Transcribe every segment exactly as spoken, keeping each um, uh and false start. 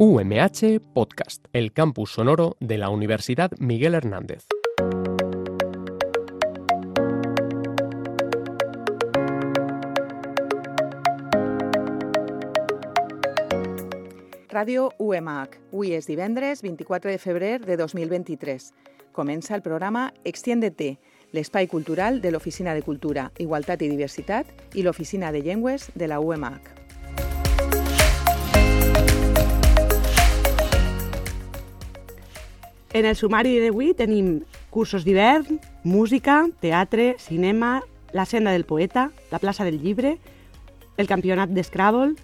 U M H Podcast, el campus sonoro de la Universidad Miguel Hernández. Ràdio U M H. Avui és divendres vint-i-quatre de febrer de dos mil vint-i-tres. Comença el programa Extiéndete, l'espai cultural de l'Oficina de Cultura, Igualtat i Diversitat i l'Oficina de Llengües de la U M H. En el sumari d'avui tenim cursos d'hivern, música, teatre, cinema, la senda del poeta, la plaça del llibre, el campionat d'Scrabble,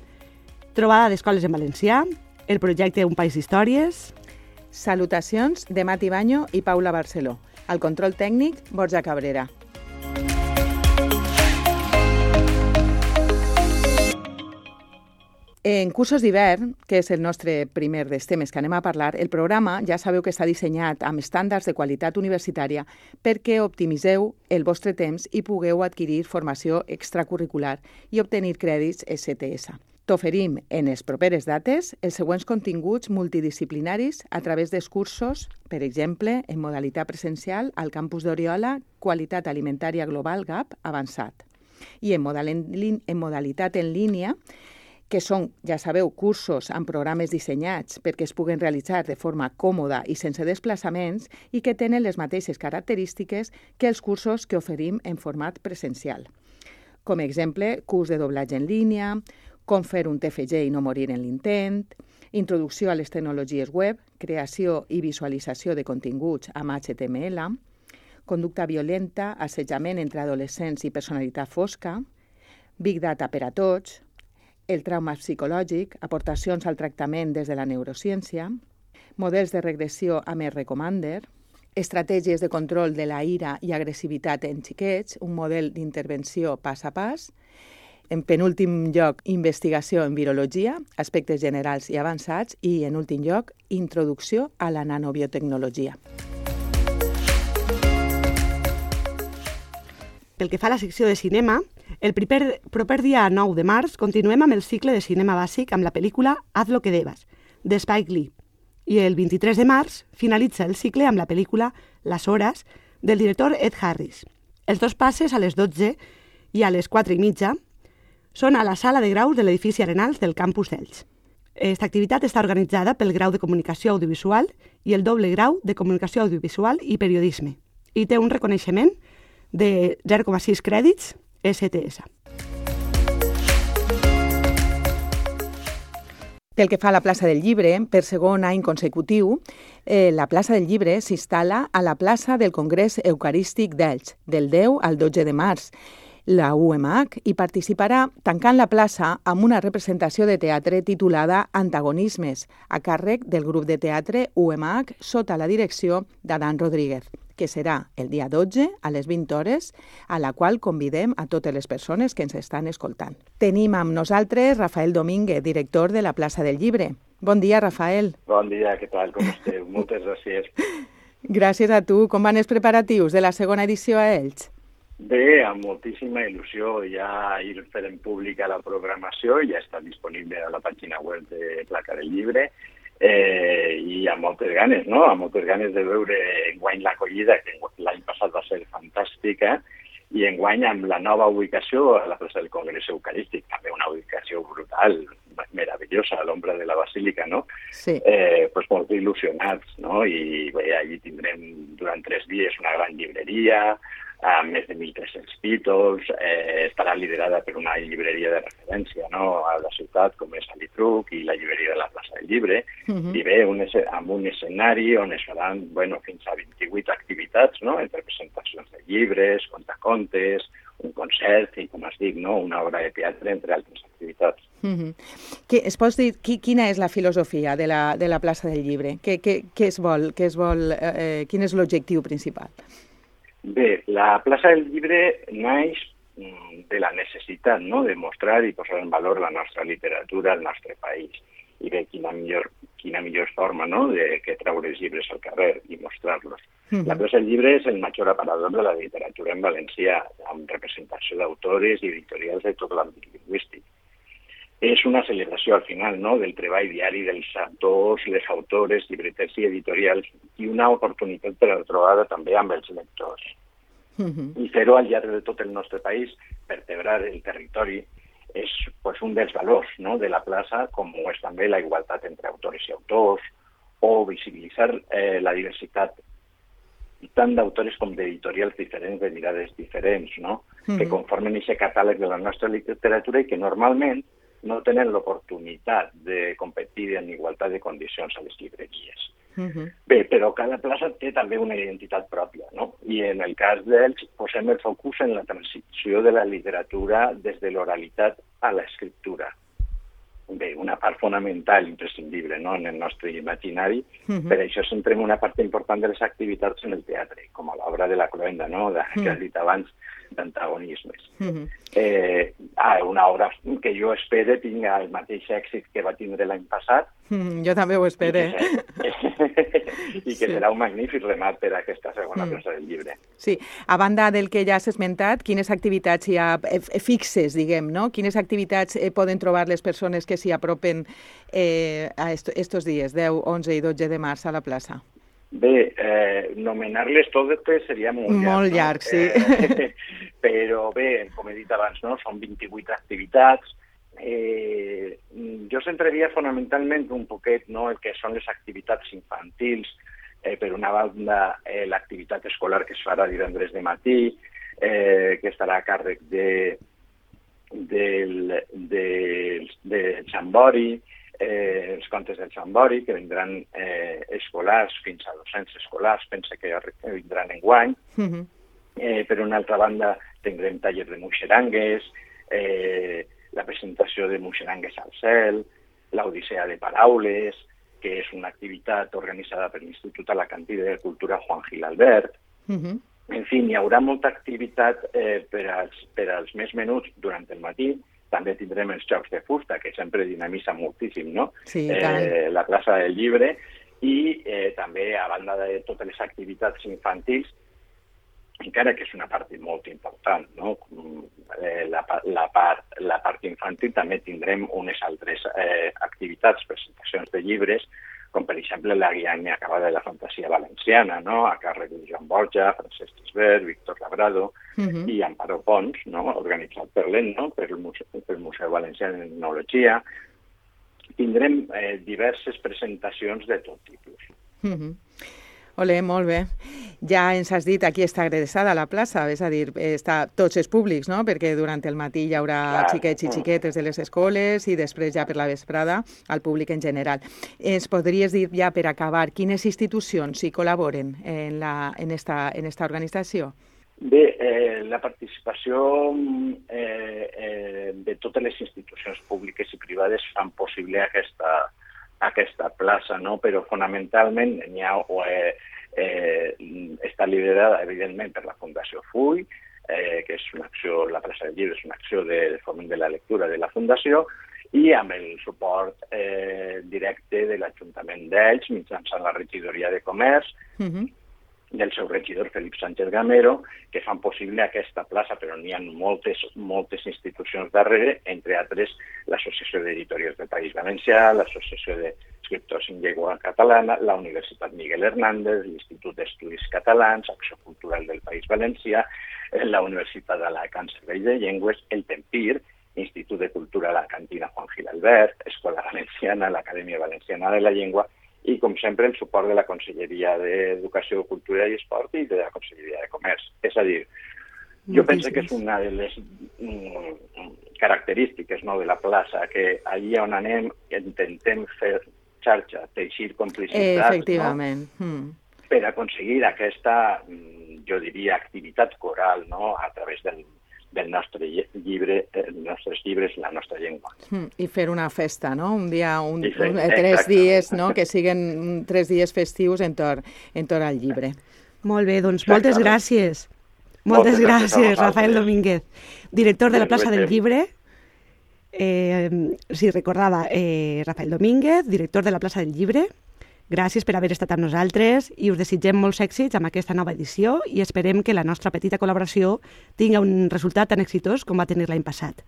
trobada d'escoles en valencià, el projecte Un País d'Històries... Salutacions de Mati Baño i Paula Barceló. Al control tècnic, Borja Cabrera. En cursos d'hivern, que és el nostre primer dels temes que anem a parlar, el programa ja sabeu que està dissenyat amb estàndards de qualitat universitària perquè optimitzeu el vostre temps i pugueu adquirir formació extracurricular i obtenir crèdits S T S. T'oferim en les properes dates els següents continguts multidisciplinaris a través dels cursos, per exemple, en modalitat presencial al campus d'Oriola, Qualitat Alimentària Global G A P avançat, i en, modal en, en modalitat en línia, que són, ja sabeu, cursos amb programes dissenyats perquè es puguen realitzar de forma còmoda i sense desplaçaments i que tenen les mateixes característiques que els cursos que oferim en format presencial. Com a exemple, curs de doblatge en línia, com fer un T F G i no morir en l'intent, introducció a les tecnologies web, creació i visualització de continguts amb H T M L, conducta violenta, assetjament entre adolescents i personalitat fosca, Big Data per a tots, el trauma psicològic, aportacions al tractament des de la neurociència, models de regressió amb el Recomander, estratègies de control de la ira i agressivitat en xiquets, un model d'intervenció pas a pas, en penúltim lloc, investigació en virologia, aspectes generals i avançats, i en últim lloc, introducció a la nanobiotecnologia. Pel que fa a la secció de cinema, el proper, proper dia nou de març continuem amb el cicle de cinema bàsic amb la pel·lícula Haz lo que debas, de Spike Lee. I el vint-i-tres de març finalitza el cicle amb la pel·lícula Las Horas, del director Ed Harris. Els dos passes a les dotze i a les quatre i mitja són a la sala de graus de l'edifici Arenals del campus d'Elx. Aquesta activitat està organitzada pel grau de Comunicació Audiovisual i el doble grau de Comunicació Audiovisual i Periodisme i té un reconeixement de zero coma sis crèdits S T S. Pel que fa a la plaça del Llibre, per segon any consecutiu, eh, la plaça del Llibre s'instal·la a la plaça del Congrés Eucarístic d'Elx, del deu al dotze de març, la U M H, i participarà tancant la plaça amb una representació de teatre titulada Antagonismes, a càrrec del grup de teatre U M H sota la direcció d'Adán Rodríguez, que serà el dia dotze a les vint hores, a la qual convidem a totes les persones que ens estan escoltant. Tenim amb nosaltres Rafael Domínguez, director de la plaça del Llibre. Bon dia, Rafael. Bon dia, què tal, com esteu? Moltes gràcies. Gràcies a tu. Com van els preparatius de la segona edició a Elx? Bé, amb moltíssima il·lusió. Ja ir fent pública la programació, ja està disponible a la pàgina web de Plaça del Llibre, eh, i amb moltes ganes, no? Amb moltes ganes de veure enguany l'acollida, que l'any passat va ser fantàstica, i enguany amb la nova ubicació a la plaça del Congrés Eucarístic, també una ubicació brutal, meravellosa, a l'ombra de la Basílica, no? Sí. Eh, pues molt il·lusionats, no? I bé, allí tindrem durant tres dies una gran llibreria, amb més de mil tres-cents títols, eh, estarà liderada per una llibreria de referència, no?, a la ciutat, com és Alitruc i la llibreria de la plaça del Llibre, uh-huh. I bé, un, amb un escenari on es faran, bueno, fins a vint-i-vuit activitats, no?, entre presentacions de llibres, contacontes, un concert i, com es dic, no?, una obra de teatre, entre altres activitats. Uh-huh. Que, es pots dir qui, quina és la filosofia de la, de la plaça del Llibre? Què, què, què es vol? Què es vol eh, quin és l'objectiu principal? Bé, la plaça del Llibre naix de la necessitat, no?, de mostrar i posar en valor la nostra literatura al nostre país. I bé, quina millor, quina millor forma, no?, de que treure els llibres al carrer i mostrar-los. Uh-huh. La plaça del Llibre és el major aparador de la literatura en valencià, amb representació d'autores i editorials de tot l'àmbit lingüístic. és una celebració al final, no?, del treball diari dels autors, les autores, llibreters i editorials, i una oportunitat per a la trobada també amb els lectors. Uh-huh. I fer-ho al llarg de tot el nostre país, vertebrar el territori, és pues, un dels valors, no?, de la plaça, com ho és també la igualtat entre autores i autors, o visibilitzar eh, la diversitat tant d'autores com d'editorials diferents, de mirades diferents, no?, uh-huh. que conformen aquest catàleg de la nostra literatura i que normalment no tenen l'oportunitat de competir en igualtat de condicions a les llibreries. Uh-huh. Bé, però cada plaça té també una identitat pròpia, no? I en el cas d'ells posem el focus en la transició de la literatura des de l'oralitat a l'escriptura. Bé, una part fonamental, imprescindible, no?, en el nostre imaginari. Uh-huh. Per això centrem una part important de les activitats en el teatre, com a l'obra de la Cloenda, no?, de, uh-huh. que has dit abans, d'antagonismes. Uh-huh. eh, ah, una obra que jo espero tinga el mateix èxit que va tindre l'any passat. Mm, jo també ho espero. I que, i que sí. serà un magnífic remat per a aquesta segona mm. plaça del llibre. Sí, a banda del que ja has esmentat, quines activitats hi ha fixes, diguem, no? Quines activitats eh, poden trobar les persones que s'hi apropen eh, a estos dies, deu, onze i dotze de març a la plaça? Bé, eh, nomenar-les totes seria molt llarg. Molt llarg, no? sí. Eh, però bé, com he dit abans, no? Són vint-i-vuit activitats. Eh, jo centraria fonamentalment un poquet, no?, el que són les activitats infantils. Eh, per una banda, eh, l'activitat escolar que es farà divendres de matí, eh, que estarà a càrrec de, del, de, de Xambori, Eh, els contes del Xambori, que vindran eh, escolars, fins a dos-cents escolars, pensa que vindran enguany. Uh-huh. eh, per una altra banda, tindrem tallers de muixerangues, eh, la presentació de muixerangues al cel, l'Odissea de Paraules, que és una activitat organitzada per l'Institut Alacantí de Cultura Juan Gil Albert. Uh-huh. En fi, hi haurà molta activitat eh, per, als, per als més menuts durant el matí. També tindrem els jocs de fusta, que sempre dinamitza moltíssim, no? Sí, eh, la plaça del llibre, i eh, també, a banda de totes les activitats infantils, encara que és una part molt important, no? Eh, la, la, part, la part infantil també tindrem unes altres eh, activitats, presentacions de llibres, com per exemple la guia inacabada de la fantasia valenciana, no?, a càrrec de Joan Borja, Francesc Gisbert, Víctor Labrado uh-huh. i Amparo Pons, no?, organitzat per l'E N, no?, per el Museu, per el Museu Valencià d'Etnologia. Tindrem eh, diverses presentacions de tot tipus. Uh-huh. Ole, molt bé. Ja ens has dit, aquí està adreçada la plaça, és a dir, està tots els públics, no?, perquè durant el matí hi haurà Clar. xiquets i xiquetes de les escoles i després ja per la vesprada al públic en general. Ens podries dir ja per acabar quines institucions hi col·laboren en, la, en, esta, en esta organització? Bé, eh, la participació eh, eh, de totes les institucions públiques i privades fan possible aquesta aquesta plaça, no? Però fonamentalment n'hi ha, eh, eh, està liderada, evidentment, per la Fundació Full, eh, que és una acció, la plaça del llibre és una acció de foment de la lectura de la Fundació, i amb el suport eh, directe de l'Ajuntament d'Elx, mitjançant la regidoria de Comerç, uh-huh. del seu regidor Felip Sánchez Gamero, que fan possible aquesta plaça, però n'hi ha moltes, moltes institucions darrere, entre altres l'Associació d'Editorials del País Valencià, l'Associació d'Escriptors en Llengua Catalana, la Universitat Miguel Hernández, l'Institut d'Estudis Catalans, Acció Cultural del País Valencià, la Universitat d'Alacant Servei de Llengües, el Tempir, Institut de Cultura Alacantina Juan Gil Albert, Escola Valenciana, l'Acadèmia Valenciana de la Llengua, i, com sempre, el suport de la Conselleria d'Educació, Cultura i Esport i de la Conselleria de Comerç. És a dir, jo penso que és una de les mm, característiques, no?, de la plaça, que allí on anem intentem fer xarxa, teixir complicitats, Efectivament. no?, mm. per aconseguir aquesta, jo diria, activitat coral, no?, a través del del nostre llibre, els nostres llibres, la nostra llengua. Mm, I fer una festa, no? Un dia, un, fer, un, tres dies, no?, que siguin tres dies festius entorn, entorn al llibre. Molt bé, doncs moltes gràcies. Moltes, moltes gràcies, gràcies Rafael Domínguez, director de la plaça del llibre. Eh, sí, recordava, eh, Rafael Domínguez, director de la plaça del llibre. Gràcies per haver estat amb nosaltres i us desitgem molts èxits amb aquesta nova edició i esperem que la nostra petita col·laboració tingui un resultat tan exitós com va tenir l'any passat.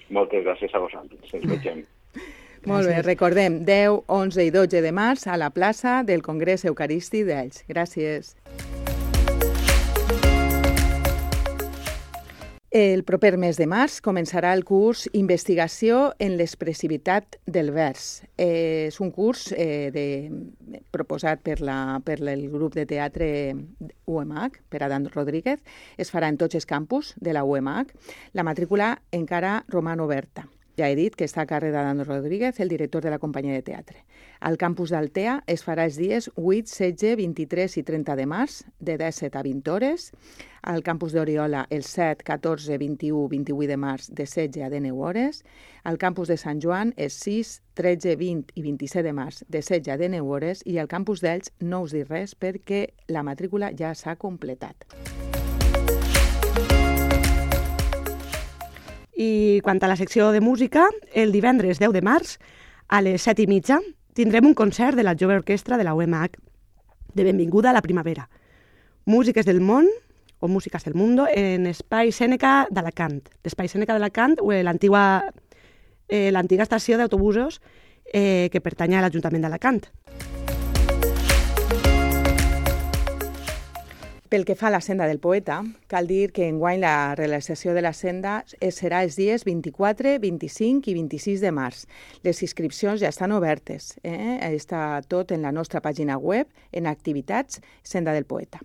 Moltes gràcies a vosaltres. Ens vegem. Molt bé, recordem, deu, onze i dotze de març a la plaça del Congrés Eucarístic d'Elx. Gràcies. El proper mes de març començarà el curs Investigació en l'expressivitat del vers. Eh, és un curs eh, de, proposat per, la, per el grup de teatre U M H, per Adán Rodríguez. Es farà en tots els campus de la U M H. La matrícula encara roman oberta. Ja he dit que està a càrrec d'Adán Rodríguez, el director de la companyia de teatre. Al campus d'Altea es farà els dies vuit, setze, vint-i-tres i trenta de març, de disset a vint hores. Al campus d'Oriola, el set, catorze, vint-i-u, vint-i-vuit de març, de setze a dinou hores. Al campus de Sant Joan, els sis, tretze, vint i vint-i-set de març, de setze a dinou hores. I al campus d'Elx no us dic res perquè la matrícula ja s'ha completat. I quant a la secció de música, el divendres deu de març, a les set i mitja, tindrem un concert de la Jove Orquestra de la U M H, de benvinguda a la primavera. Músiques del món, o Músiques del Mundo, en Espai Sèneca d'Alacant. L'Espai Sèneca d'Alacant, l'antiga eh, l'antiga estació d'autobusos eh, que pertany a l'Ajuntament d'Alacant. Pel que fa a la Senda del Poeta, cal dir que enguany la realització de la senda serà els dies vint-i-quatre, vint-i-cinc i vint-i-sis de març. Les inscripcions ja estan obertes. Eh? Està tot en la nostra pàgina web, en activitats Senda del Poeta.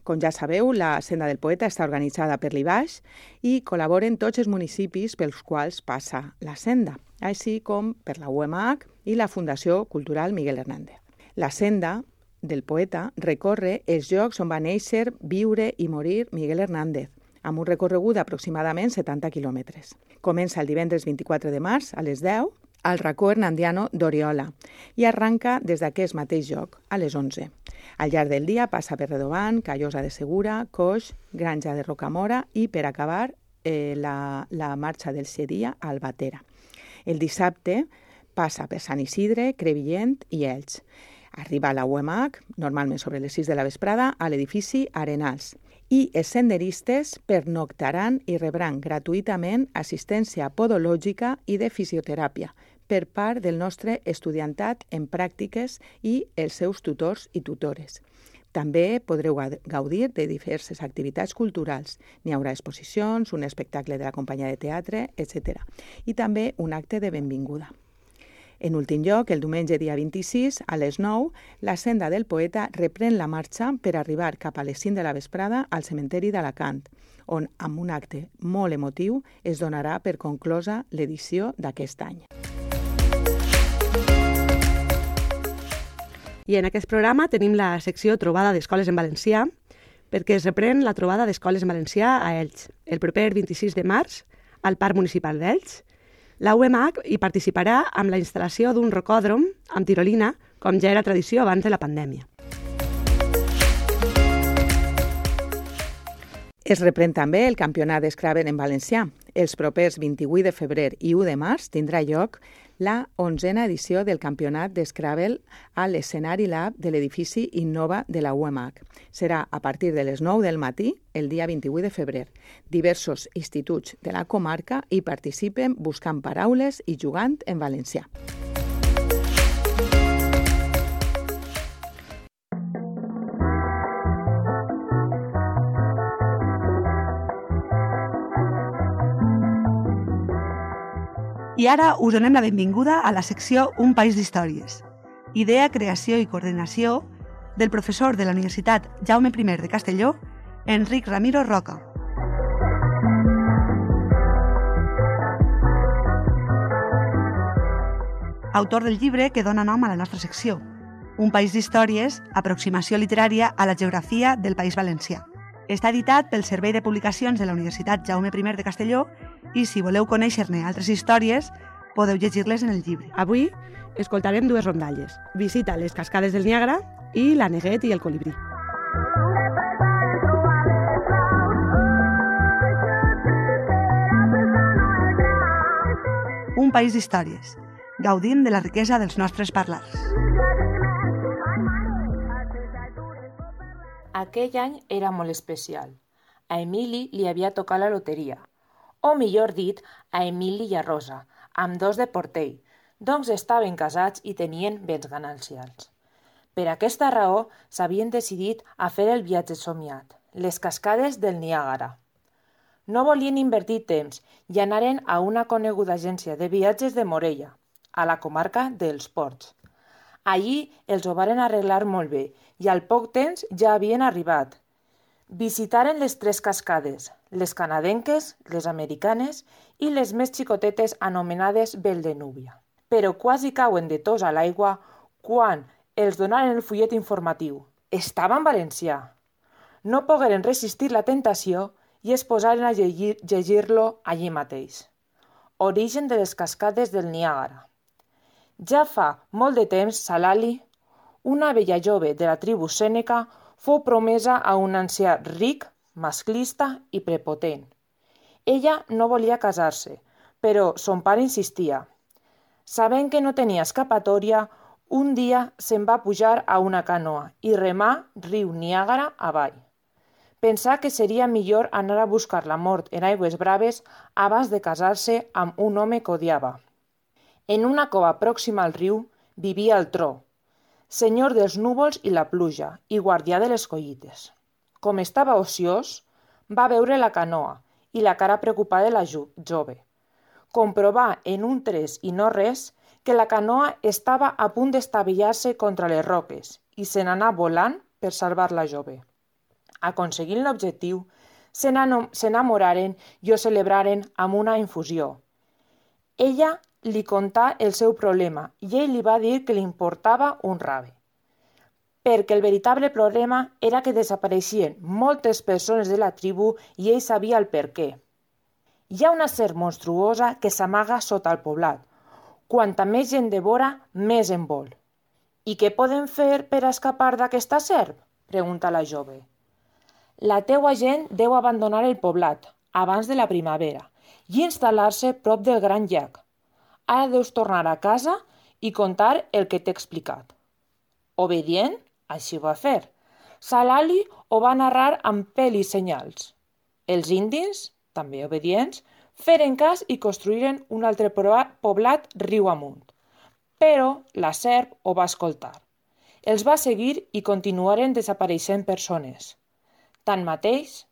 Com ja sabeu, la Senda del Poeta està organitzada per l'I B A X i col·laboren tots els municipis pels quals passa la senda, així com per la U M H i la Fundació Cultural Miguel Hernández. La Senda del Poeta recorre els llocs on va néixer, viure i morir Miguel Hernández, amb un recorregut d'aproximadament setanta quilòmetres. Comença el divendres vint-i-quatre de març a les deu al racó hernandiano d'Oriola i arranca des d'aquest mateix lloc a les onze. Al llarg del dia passa per Redovant, Callosa de Segura, Coix, Granja de Rocamora i, per acabar, eh, la, la marxa del Xeria a Albatera. El dissabte passa per Sant Isidre, Crevillent i Elx. Arriba a la U M H, normalment sobre les sis de la vesprada, a l'edifici Arenals. I els senderistes pernoctaran i rebran gratuïtament assistència podològica i de fisioteràpia per part del nostre estudiantat en pràctiques i els seus tutors i tutores. També podreu gaudir de diverses activitats culturals. N'hi haurà exposicions, un espectacle de la companyia de teatre, etcètera. I també un acte de benvinguda. En últim lloc, el diumenge dia vint-i-sis, a les nou, la Senda del Poeta reprèn la marxa per arribar cap a les cinc de la vesprada al cementeri d'Alacant, on, amb un acte molt emotiu, es donarà per conclosa l'edició d'aquest any. I en aquest programa tenim la secció Trobada d'Escoles en Valencià, perquè es reprèn la trobada d'escoles en valencià a Elx, el proper vint-i-sis de març, al Parc Municipal d'Elx. La U M H hi participarà amb la instal·lació d'un rocòdrom amb tirolina, com ja era tradició abans de la pandèmia. Es reprèn també el campionat d'Scrabble en valencià. Els propers vint-i-vuit de febrer i u de març tindrà lloc la onzena edició del campionat d'Scrabble a l'escenari Lab de l'edifici Innova de la U M H. Serà a partir de les nou del matí, el dia vint-i-vuit de febrer. Diversos instituts de la comarca hi participen buscant paraules i jugant en valencià. I ara us donem la benvinguda a la secció Un país d'històries. Idea, creació i coordinació del professor de la Universitat Jaume primer de Castelló, Enric Ramiro Roca. Autor del llibre que dona nom a la nostra secció, Un país d'històries, aproximació literària a la geografia del País Valencià. Està editat pel Servei de Publicacions de la Universitat Jaume primer de Castelló i si voleu conèixer-ne altres històries, podeu llegir-les en el llibre. Avui escoltarem dues rondalles. Visita les cascades del Niàgara i la Neguet i el colibrí. Un país d'històries. Gaudim de la riquesa dels nostres parlars. Aquell any era molt especial. A Emili li havia tocat la loteria. o millor dit, a Emili i a Rosa, amb dos de Portell, doncs estaven casats i tenien béns ganancials. Per aquesta raó s'havien decidit a fer el viatge somiat, les cascades del Niàgara. No volien invertir temps i anaren a una coneguda agència de viatges de Morella, a la comarca dels Ports. Allí els ho varen arreglar molt bé i al poc temps ja havien arribat. Visitaren les tres cascades, les canadenques, les americanes i les més xicotetes anomenades Vel de Núbia. Però quasi cauen de tos a l'aigua quan els donaren el fullet informatiu. Estava en valencià. No pogueren resistir la tentació i es posaren a llegir, llegir-lo allí mateix. Origen de les cascades del Niàgara. Ja fa molt de temps, Salali, una vella jove de la tribu sèneca, fou promesa a un ancià ric, masclista i prepotent. Ella no volia casar-se, però son pare insistia. Sabent que no tenia escapatòria, un dia se'n va pujar a una canoa i remar riu Niàgara avall. Pensà que seria millor anar a buscar la mort en aigües braves abans de casar-se amb un home que odiava. En una cova pròxima al riu vivia el Tro, senyor dels núvols i la pluja i guardià de les collites. Com estava ociós, va veure la canoa i la cara preocupada de la jove. Comprovà en un tres i no res que la canoa estava a punt d'estavellar-se contra les roques i se n'anà volant per salvar la jove. Aconseguint l'objectiu, s'enamoraren i ho celebraren amb una infusió. Ella li contà el seu problema i ell li va dir que li importava un rave. Perquè el veritable problema era que desapareixien moltes persones de la tribu i ell sabia el per què. Hi ha una serp monstruosa que s'amaga sota el poblat. Quanta més gent devora, més en vol. I què podem fer per escapar d'aquesta serp? Pregunta la jove. La teua gent deu abandonar el poblat abans de la primavera i instal·lar-se prop del gran llac. Ara deus tornar a casa i contar el que t'he explicat. Obedient, així va fer. Salali ho va narrar amb pèl i senyals. Els indis, també obedients, feren cas i construïren un altre poblat riu amunt. Però la serp ho va escoltar. Els va seguir i continuaren desapareixent persones. Tanmateix,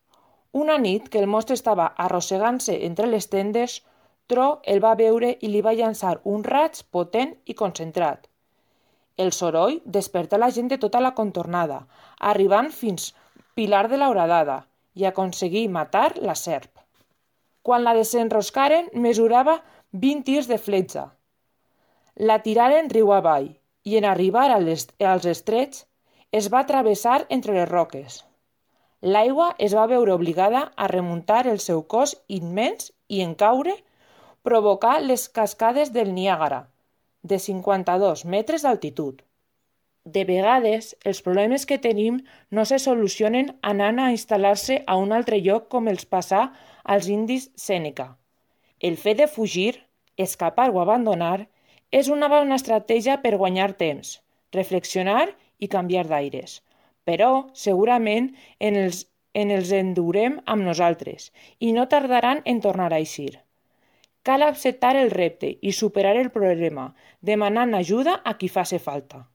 una nit que el monstre estava arrossegant-se entre les tendes, Tro el va veure i li va llançar un raig potent i concentrat. El soroll despertà la gent de tota la contornada, arribant fins Pilar de la Horadada i aconseguí matar la serp. Quan la desenroscaren, mesurava vint tirs de fletxa. La tiraren riu avall i en arribar als estrets es va travessar entre les roques. L'aigua es va veure obligada a remuntar el seu cos immens i en caure provocar les cascades del Niàgara, de cinquanta-dos metres d'altitud. De vegades, els problemes que tenim no se solucionen anant a instal·lar-se a un altre lloc com els passà als indis Sèneca. El fet de fugir, escapar o abandonar és una bona estratègia per guanyar temps, reflexionar i canviar d'aires. Però, segurament, en els, en els endurem amb nosaltres i no tardaran en tornar a eixir. Cal acceptar el repte i superar el problema, demanant ajuda a qui faci falta.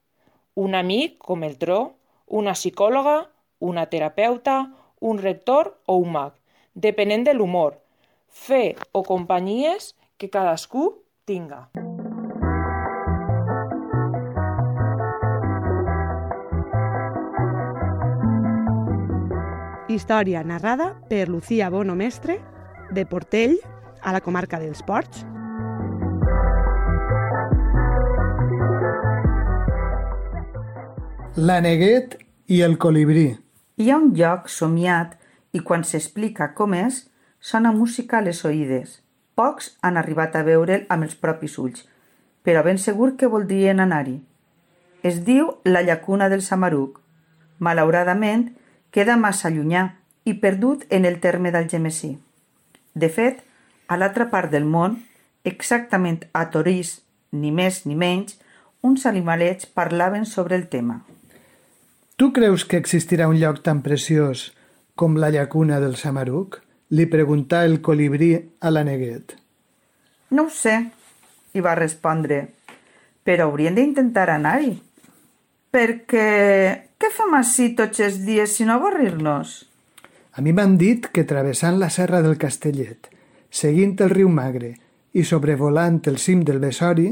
Un amic, com el Tro, una psicòloga, una terapeuta, un rector o un mag, depenent de l'humor, fe o companyies que cadascú tinga. Història narrada per Lucía Bono Mestre, de Portell, a la comarca dels Ports. L'aneguet i el colibrí. Hi ha un lloc somiat i quan s'explica com és, sona música a les oïdes. Pocs han arribat a veure'l amb els propis ulls, però ben segur que voldrien anar-hi. Es diu la llacuna del Samaruc. Malauradament, queda massa llunyà i perdut en el terme d'Algemesí. De fet, a l'altra part del món, exactament a Torís, ni més ni menys, uns animalets parlaven sobre el tema. Tu creus que existirà un lloc tan preciós com la llacuna del Samaruc? li preguntà el colibrí a l'Aneguet. No ho sé, hi va respondre, però hauríem d'intentar anar-hi. Perquè què fem ací tots els dies si no avorrir-nos? A mi m'han dit que travessant la serra del Castellet, seguint el riu Magre i sobrevolant el cim del Besori,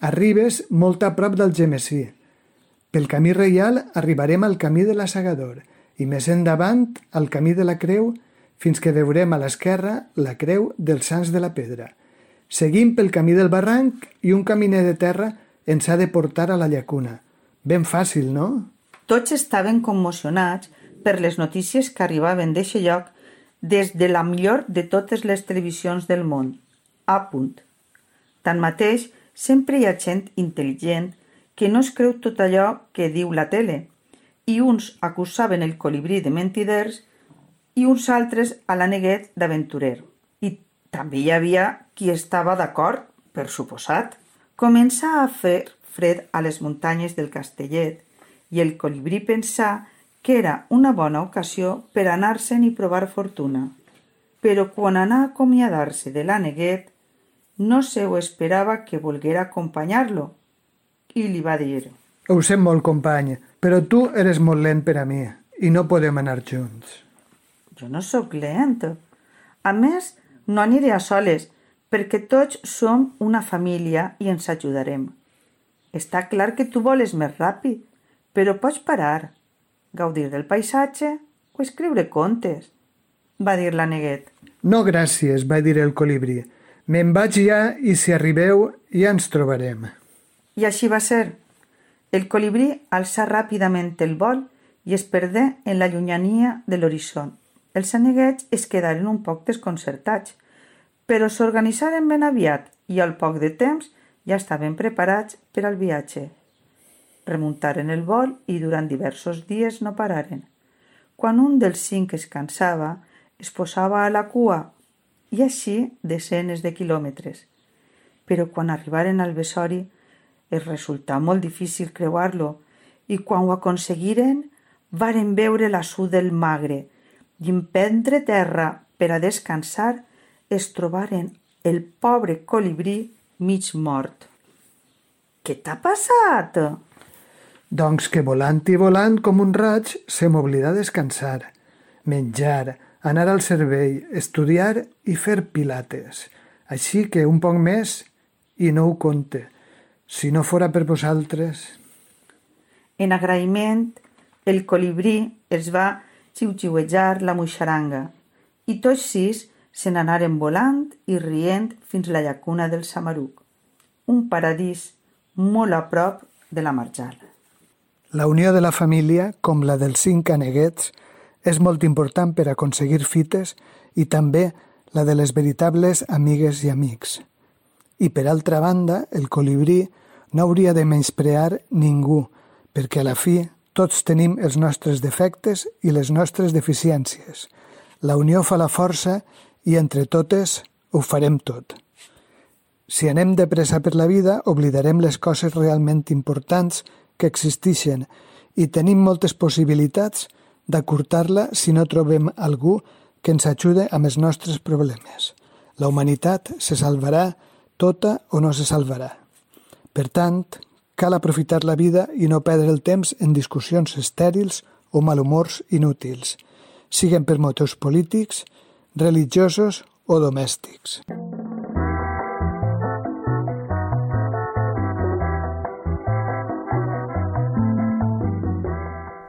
arribes molt a prop del Gemesí. Pel camí reial arribarem al camí de la Segador i més endavant al camí de la Creu fins que veurem a l'esquerra la Creu dels Sants de la Pedra. Seguim pel camí del barranc i un caminer de terra ens ha de portar a la llacuna. Ben fàcil, no? Tots estaven commocionats per les notícies que arribaven d'eixe lloc des de la millor de totes les televisions del món. A punt. Tanmateix, sempre hi ha gent intel·ligent que no es creu tot allò que diu la tele, i uns acusaven el colibrí de mentiders i uns altres a l'Aneguet d'aventurer. I també hi havia qui estava d'acord, per suposat. Comença a fer fred a les muntanyes del Castellet i el colibrí pensà que era una bona ocasió per anar-se'n i provar fortuna. Però quan anà a acomiadar-se de l'Aneguet, no se ho esperava que volguera acompanyar-lo i li va dir: Ho sé molt, company, però tu eres molt lent per a mi i no podem anar junts. Jo no sóc lent. A més, no aniré a soles, perquè tots som una família i ens ajudarem. Està clar que tu voles més ràpid, però pots parar, gaudir del paisatge o escriure contes, va dir l'Aneguet. No, gràcies, va dir el colibrí. Me'n vaig ja i si arribeu ja ens trobarem. I així va ser. El colibrí alçà ràpidament el vol i es perdé en la llunyania de l'horitzó. Els aneguets es quedaren un poc desconcertats, però s'organitzaren ben aviat i al poc de temps ja estaven preparats per al viatge. Remuntaren el vol i durant diversos dies no pararen. Quan un dels cinc es cansava, es posava a la cua i així desenes de quilòmetres. Però quan arribaren al Besori es resultà molt difícil creuar-lo i quan ho aconseguiren varen veure la su del Magre i en prendre terra per a descansar es trobaren el pobre colibrí mig mort. Què t'ha passat? Doncs que volant i volant com un raig se m'oblidà descansar, menjar, anar al servei, estudiar i fer pilates. Així que un poc més i no ho compte. Si no fora per vosaltres... En agraïment, el colibrí es va xiuxiuejar la moixaranga i tots sis se n'anaren volant i rient fins la llacuna del Samaruc, un paradís molt a prop de la marjal. La unió de la família, com la dels cinc aneguets, és molt important per aconseguir fites i també la de les veritables amigues i amics. I per altra banda, el colibrí no hauria de menysprear ningú, perquè a la fi tots tenim els nostres defectes i les nostres deficiències. La unió fa la força i entre totes ho farem tot. Si anem de pressa per la vida, oblidarem les coses realment importants que existeixen i tenim moltes possibilitats d'acurtar-la si no trobem algú que ens ajude amb els nostres problemes. La humanitat se salvarà tota o no se salvarà. Per tant, cal aprofitar la vida i no perdre el temps en discussions estèrils o malhumors inútils, siguen per motius polítics, religiosos o domèstics.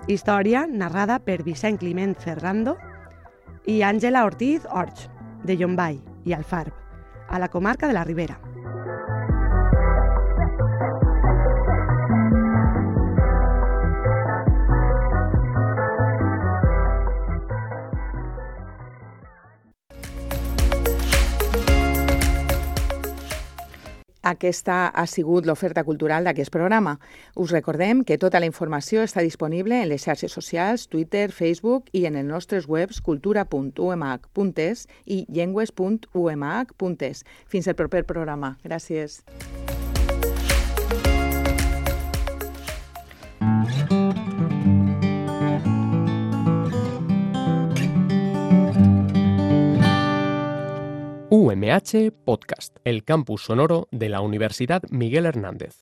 Història narrada per Vicent Climent Ferrando i Àngela Ortiz Orch, de Llombai i Alfarb, a la comarca de la Ribera. Aquesta ha sigut l'oferta cultural d'aquest programa. Us recordem que tota la informació està disponible en les xarxes socials, Twitter, Facebook i en els nostres webs cultura punt u m h punt e s i llengües punt u m h punt e s. Fins al proper programa. Gràcies. M H Podcast, el campus sonoro de la Universidad Miguel Hernández.